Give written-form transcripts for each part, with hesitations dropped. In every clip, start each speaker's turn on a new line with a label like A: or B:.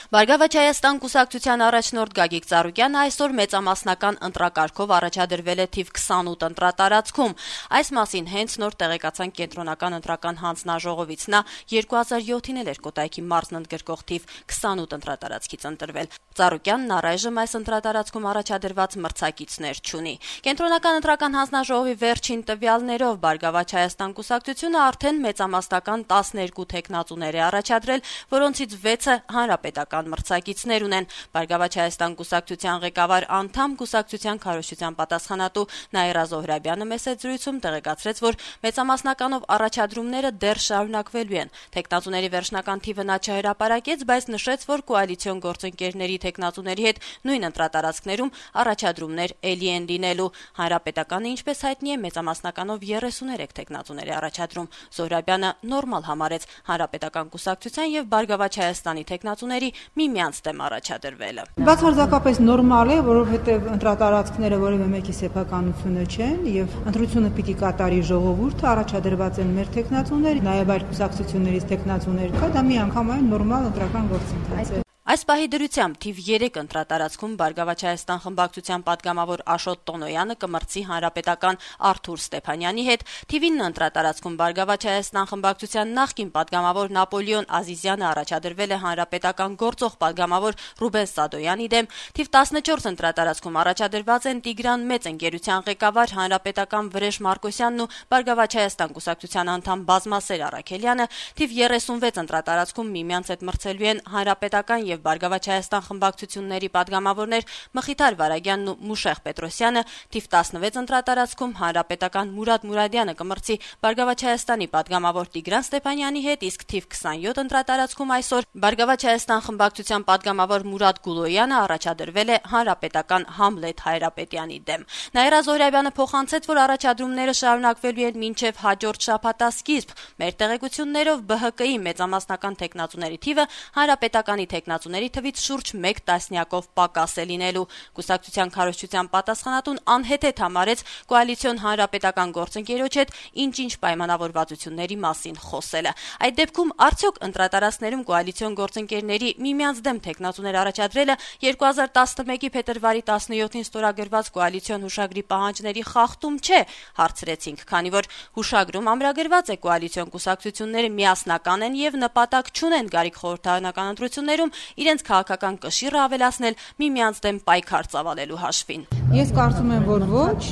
A: Բարգավաճ Հայաստան կուսակցության առաջնորդ Գագիկ Ծառուկյանը այսօր մեծամասնական ընտրակարգով առաջադրվել է թիվ 28 ընտրատարածքում։ Այս մասին հենց նոր տեղեկացան կենտրոնական ընտրական հանձնաժողովից։ Նա 2007-ին էր Կոտայքի մարզն ընդգրկող թիվ 28 ընտրատարածքից ընտրվել։ Ծառուկյանն առայժմ այս ընտրատարածքում առաջադրված մրցակիցներ չունի։ Կենտրոնական ընտրական հանձնաժողովի վերջին տվյալներով Բարգավաճ Հայաստան կուսակցությունը արդեն մեծամասնական 12 թեկնածուներ է առաջադրել, որոնցից 6-ը հանրապետական մրցակիցներ ունեն։ Բարգավաճ Հայաստան կուսակցության ղեկավար անդամ կուսակցության քարոզչության պատասխանատու Նաիրա Զոհրաբյանը մեծ զրույցում տեղեկացրեց, որ մեծամասնականով առաջադրումները դեռ շարունակվելու են։ Թեկնածուների վերջնական թիվը նա չհրապարակեց, բայց նշեց, որ կոալիցիոն գործընկերների թեկնածուների հետ նույն ընտրատարածքներում առաջադրումներ էլի են լինելու։ Հանրապետականը, ինչպես հայտնի է, մեծամասնականով 33 թեկնածուներ է առաջադրում։ Զոհրաբյանը նորմալ համարեց հանրապետական կուսակցության եւ Բարգավաճ Հայաստանի թեկնածուների միմյանց դեմ առաջադրվելը։
B: Բացարձակապես նորմալ է, որովհետեւ ընտրատարածքները որևէ մեկի սեփականությունը չեն եւ ընտրությունը պիտի կատարի ժողովուրդը, առաջադրված են մեր թեկնածուներ, նաեւ այլ կուսակցություններից թեկնածուներ կա, դա միանգամայն նորմալ ընտրական գործընթաց է։
A: Այս պահի դրությամբ թիվ 3 ընտրատարածքում Բարգավաճ Հայաստան խմբակցության падգամավոր Աշոտ Տոնոյանը կմրցի հանրապետական Արթուր Ստեփանյանի հետ, թիվ 9 ընտրատարածքում Բարգավաճ Հայաստան խմբակցության նախկին падգամավոր Նապոլեոն Ազիզյանը առաջադրվել է հանրապետական գործող падգամավոր Ռուբեն Սադոյանի դեմ, թիվ 14 ընտրատարածքում առաջադրված են Տիգրան Մեծ ընկերության ղեկավար հանրապետական Վրեժ Մարկոսյանն ու Բարգավաճ Հայաստան կուսակցության անդամ Բազմասեր Առաքելյանը, թիվ 36 ընտրատարածքում միմյանց հետ մրցելու են հանրապետական եւ Բարգավաճ Հայաստան խմբակցությունների падգամավորներ Մխիթար Վարագյանն ու Մուշեղ Պետրոսյանը, թիվ 16 ընտրատարածքում հանրապետական Մուրադ Մուրադյանը կմրցի Բարգավաճ Հայաստանի падգամավոր Տիգրան Ստեփանյանի հետ, իսկ թիվ 27 ընտրատարածքում այսօր Բարգավաճ Հայաստան խմբակցության падգամավոր Մուրադ Գուլոյանը առաջադրվել է հանրապետական Համլետ Հայրապետյանի դեմ։ Նաիրա Զոհրաբյանը փոխանցեց, որ առաջադրումները շարունակվելու են մինչև հաջորդ շաբաթասկիզբ։ Մեր տեղեկություններով ԲՀԿ-ի մեծամասնական թեկնածուների թիվը հանրապետականի թեկնածուների թվից շուրջ 1 տասնյակով պակաս է լինելու։ Կուսակցության քարոզչության պատասխանատուն անհեթեթ համարեց կոալիցիոն հանրապետական գործընկերոջ հետ ինչ-ինչ պայմանավորվածությունների մասին խոսելը։ Այդ դեպքում արդյոք ընտրատարածքներում կոալիցիոն գործընկերների միմյանց դեմ թեկնածուներ առաջադրելը 2011-ի փետրվարի 17-ին ստորագրված կոալիցիոն հուշագրի պահանջների խախտում չէ, հարցրեցինք, քանի որ հուշագրում ամրագրված է կոալիցիոն կուսակցությունները միասնական են եւ նպատակ չունեն գարիկ խորհրդարանական ընտրություններում իրենց քաղաքական կշիռը ավելացնել միմյանց դեմ պայքար ծավալելու հաշվին։
B: Ես կարծում եմ, որ ոչ,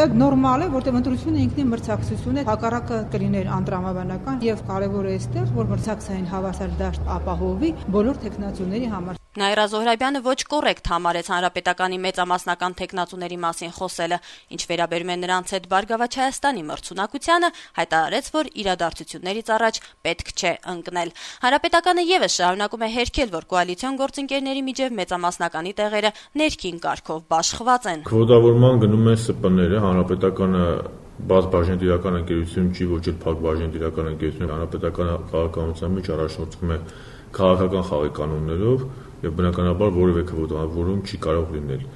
B: դա նորմալ է, որտեղ ընտրությունը ինքնին մրցակցություն է, հակառակը կլիներ անտրամաբանական եւ կարեւորը էստեղ, որ մրցակցային հավասար դաշտ ապահովի բոլոր թեկնածուների համար։
A: Նաիրա Զոհրաբյանը ոչ կոռեկտ համարեց հանրապետականի մեծամասնական թեկնածուների մասին խոսելը, ինչ վերաբերում է նրանց հետ Բարգավաճ Հայաստանի մրցունակությանը, հայտարարեց, որ իրադարձություններից առաջ պետք չէ ընկնել։ Հանրապետականը եւս շարունակում է հերքել, որ կոալիցիոն գործընկերների միջև մեծամասնականի տեղերը ներքին կարգով բաշխված են։
C: Քվոտավորման գնում են ՍՊ-ները, հանրապետականը բազմաբաժնետիրական ընկերություն չի, ոչ էլ փակբաժնետիրական ընկերություն, հանրապետականը քաղաքականության մեջ առաջնորդվում է քաղաքական խաղի կանոններով եւ բնականաբար որևէ քվոտավորում չի կարող լինել։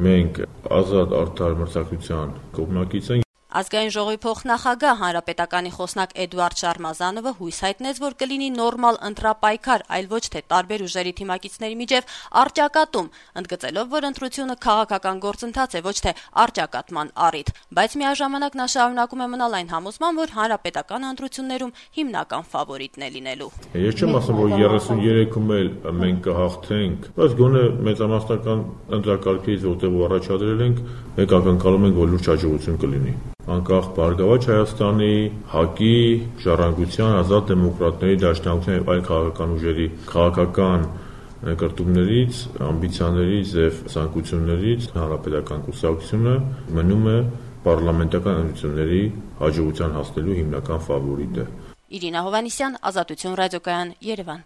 C: Մենք ազատ արդար մրցակցության կողմնակից ենք։
A: Ազգային ժողովի փոխնախագահ հանրապետականի խոսնակ Էդուարդ Շարմազանովը հույս հայտնեց, որ կլինի նորմալ ընտրապայքար, այլ ոչ թե տարբեր ուժերի թիմակիցների միջև առճակատում, ընդգծելով, որ ընտրությունը քաղաքական գործընթաց է, ոչ թե առճակատման առիթ, բայց միաժամանակ նա շարունակում է մնալ այն համոզման, որ հանրապետական ընտրություններում հիմնական ֆավորիտն է լինելու։
C: Ես չեմ ասում, որ 33-ում էլ մենք կհաղթենք, բայց գոնե մեծամասնական ընտրակարգից որտեղ առաջադրել ենք, մենք ակնկալում ենք, որ լուրջ հաջողություն կլինի։ Անկախ Բարգավաճ Հայաստանի, ՀԱԿ-ի, Ժառանգության, Ազատ դեմոկրատների, Դաշնակցության եւ այլ քաղաքական ուժերի քաղաքական նկարտումներից, ամբիցիաներից եւ ցանկություններից հանրապետական կուսակցությունը մնում է պարլամենտական ընտրությունների հաջողության հասնելու հիմնական ֆավորիտը։
A: Իրինա Հովհաննիսյան, Ազատություն ռադիոկայան, Երևան։